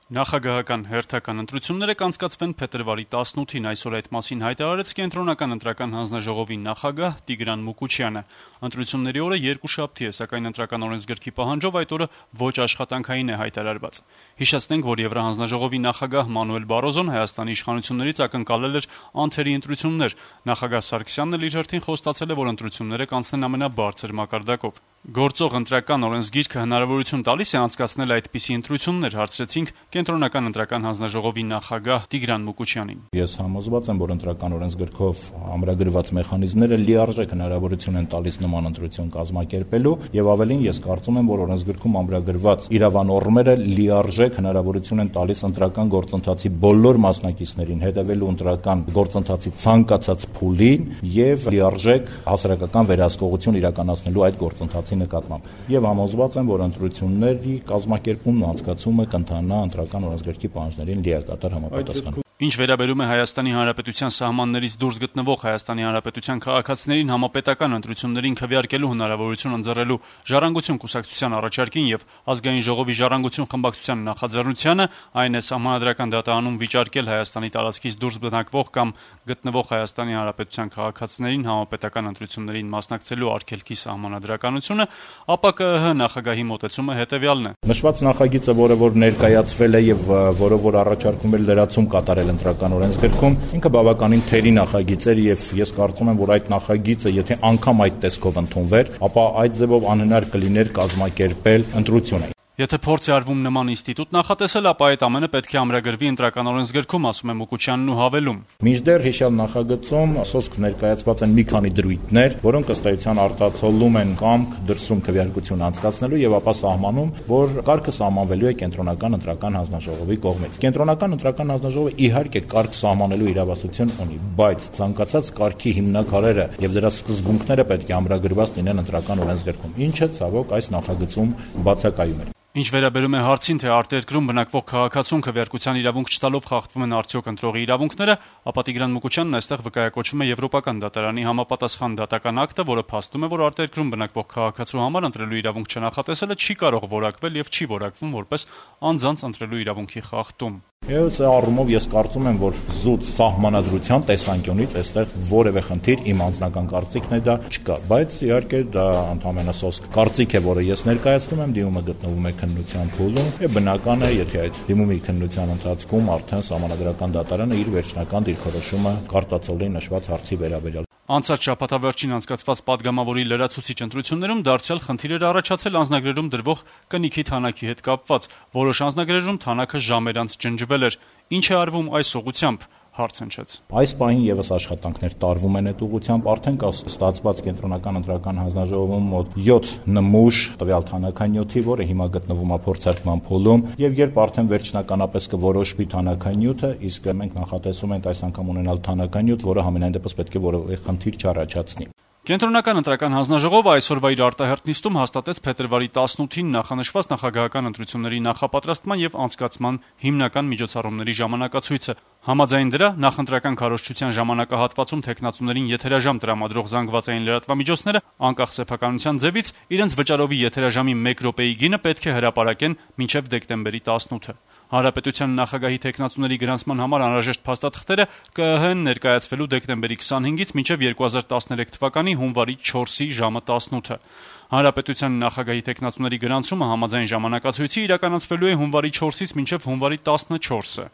Նախագահական հերթական ընտրությունները կանցկացվեն փետրվարի 18-ին, այսօր այդ մասին հայտարարեց Կենտրոնական ընտրական հանձնաժողովի նախագահ Տիգրան Մուկուչյանը։ Ընտրությունների օրը երկուշաբթի է, սակայն ընտրական օրենսգրքի պահանջով այդ օրը ոչ աշխատանքային է հայտարարված։ Հիշեցնենք, որ Եվրահանձնաժողովի նախագահ Մանուել Բարոզոն Հայաստանի իշխանություններից ակնկալել էր անթերի ընտրություններ։ Նախագահ Սարգսյանն էլ իր հերթին խոստացել է, որ ընտրությունները կանցնեն ամենաբարձր մակարդակով։ Գործող ընտրական օրենսգիրքը հնարավորություն տալիս է անցկացնել այդպիսի ընտրություններ, հարցրեցինք Կենտրոնական ընտրական հանձնաժողովի նախագահ Տիգրան Մուկուչյանին։ Ես համոզված եմ, որ ընտրական օրենսգրքով ամրագրված մեխանիզմները լիարժեք հնարավորություն են տալիս նման ընտրություն կազմակերպելու, եւ ավելին ես կարծում եմ, որ օրենսգրքում ամրագրված իրավանորմերը լիարժեք հնարավորություն են տալիս ընտրական գործընթացի բոլոր մասնակիցներին հետևելու ընտրական գործընթացի ցանկացած փուլին եւ լիարժեք հասարակական վերահսկողություն իրականացնելու այդ գործընթացի նկատմամբ։ Եվ համոզված եմ, որ ընտրությունների կազմակերպումն ու անցկացումը կընթանա ընտրական օրենսգրքի պահանջներին լիակատար համապատասխան։ Ինչ վերաբերում է Հայաստանի Հանրապետության սահմաններից դուրս գտնվող Հայաստանի Հանրապետության քաղաքացիներին համապետական ընտրություններին քվեարկելու հնարավորություն ընձեռելու Ժառանգություն կուսակցության առաջարկին եւ Ազգային ժողովի Ժառանգություն խմբակցության նախաձեռնությանը, այն է սահմանադրական դատարանում վիճարկել Հայաստանի տարածքից դուրս բնակվող կամ գտնվող Հայաստանի Հանրապետության քաղաքացիներին համապետական ընտրություններին մասնակցելու արգելքի սահմանադրականությունը, ապա ԿԸՀ նախագահի մոտեցումը հետեւյալն է։ Նշված նախագիծը, որը ներկայացվել է եւ որը առաջարկում է լրացում կատարել ընտրական օրենսգրքում, ինքը բավականին թերի նախագիծ էր եւ ես կարծում եմ, որ այդ նախագիծը, եթե անգամ այդ տեսքով ընդունվեր, ապա այդ ձևով անհնար կլիներ կազմակերպել ընտրությունը։ Եթե փորձ է արվում նման ինստիտուտ նախատեսել, ապա այդ ամենը պետք է ամրագրվի ընտրական օրենսգրքում, ասում է Մուկուչյանն ու հավելում. Մինչդեռ հիշյալ նախագծում սոսկ ներկայացված են մի քանի դրույթներ, որոնք ըստ էության արտացոլում են կամք դրսում քվեարկություն անցկացնելու եւ ապա սահմանում, որ կարգը սահմանվելու է Կենտրոնական ընտրական հանձնաժողովի կողմից։ Կենտրոնական ընտրական հանձնաժողովը իհարկե կարգ սահմանելու իրավասություն ունի, բայց ցանկացած կարգի հիմնաքարերը եւ դրա սկզբունքները պետք է ամրագրված լինեն ընտրական օրենսգրքում, ինչը ցավոք այս նախագծում բացակայում է։ Ինչ վերաբերում է հարցին, թե արտերկրում բնակվող քաղաքացուն քվեարկության իրավունք չտալով խախտվում են արդյոք ընտրողի իրավունքները, ապա Տիգրան Մուկուչյանն այստեղ վկայակոչում է Եվրոպական դատարանի համապատասխան դատական ակտը, որը փաստում է, որ արտերկրում բնակվող քաղաքացու համար ընտրելու իրավունք չնախատեսելը չի կարող որակվել եւ չի որակվում որպես անձանց ընտրելու իրավունքի խախտում։ Այս առումով ես կարծում եմ, որ զուտ սահմանադրության տեսանկյունից այստեղ որևէ խնդիր իմ անձնական կարծիքն է դա չկա, բայց իհարկե դա ընդհանրապես սոսկ կարծիք է, որը ես ներկայացնում եմ, դիմումը գտնվում է քննության փուլում եւ բնական է, եթե այդ դիմումի քննության ընթացքում արդեն սահմանադրական դատարանը իր վերջնական դիրքորոշումը կարտացոլի նշված հարցի վերաբերյալ։ Անցած շաբաթավերջին անցկացված падգամավորի լրացուցիչ ընտրություններում դարձյալ խնդիր էր առաջացել անձնագրերում դրվող կնիքի թանակի հետ կապված։ Որոշ անձնագրերում թանակը ժամեր անց ջնջվել էր։ Ինչ է արվում այս ուղղությամբ, հարց հնչեց։ Այս պահին եւս աշխատանքներ տարվում են այդ ուղղությամբ, արդեն կա ստացված Կենտրոնական ընտրական հանձնաժողովում մոտ 7 նմուշ տվյալ թանականյութի, որը հիմա գտնվում է փորձարկման փուլում, եւ երբ արդեն վերջնականապես կորոշվի թանականյութը, իսկ մենք նախատեսում ենք այս անգամ ունենալ թանականյութ, որը համենայն դեպս պետք է որևէ խնդիր չառաջացնի։ Կենտրոնական ընտրական հանձնաժողովը այսօրվա իր արտահերթ նիստում հաստատեց փետրվարի 18-ին նախանշված նախագահական ընտրությունների նախապատրաստման եւ անցկացման հիմնական միջոցառումների ժամանակացույցը։ Համաձայն դրա նախընտրական քարոզչության ժամանակահատվածում տեխնացուներին եթերաժամ տրամադրող զանգվածային լրատվամիջոցները անկախ սեփականության ձևից իրենց վճարովի եթերաժամի 1 րոպեի գինը պետք է հրապարակեն մինչև դեկտեմբերի 18-ը։ Հանրապետության նախագահի տեխնացուների գրանցման համար անհրաժեշտ փաստաթղթերը ԿԸՀ-ն ներկայացվելու դեկտեմբերի 25-ից մինչև 2013 թվականի հունվարի 4-ի ժամը 18-ը։ Հանրապետության նախագահի տեխնացուների գրանցումը համաձայն ժամանակացույցի իրականացվելու է հունվարի 4-ից մինչև հունվարի 14-ը։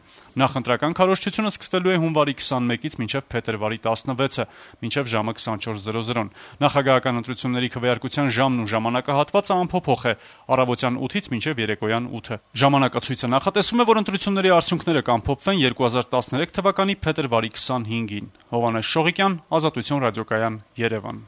Նախընտրական քարոզչությունը սկսվելու է հունվարի 21-ից մինչև փետրվարի 16-ը, մինչև ժամը 24:00-ն։ Նախագահական ընտրությունների քվեարկության ժամն ու ժամանակահատվածը անփոփոխ է՝ առավոտյան 8-ից մինչև երեկոյան 8-ը։ Ժամանակացույցը նախատեսում է, որ ընտրությունների արդյունքները կամփոփվեն 2013 թվականի փետրվարի 25-ին։ Հովհաննես Շողիկյան, Ազատություն ռադիոկայան, Երևան։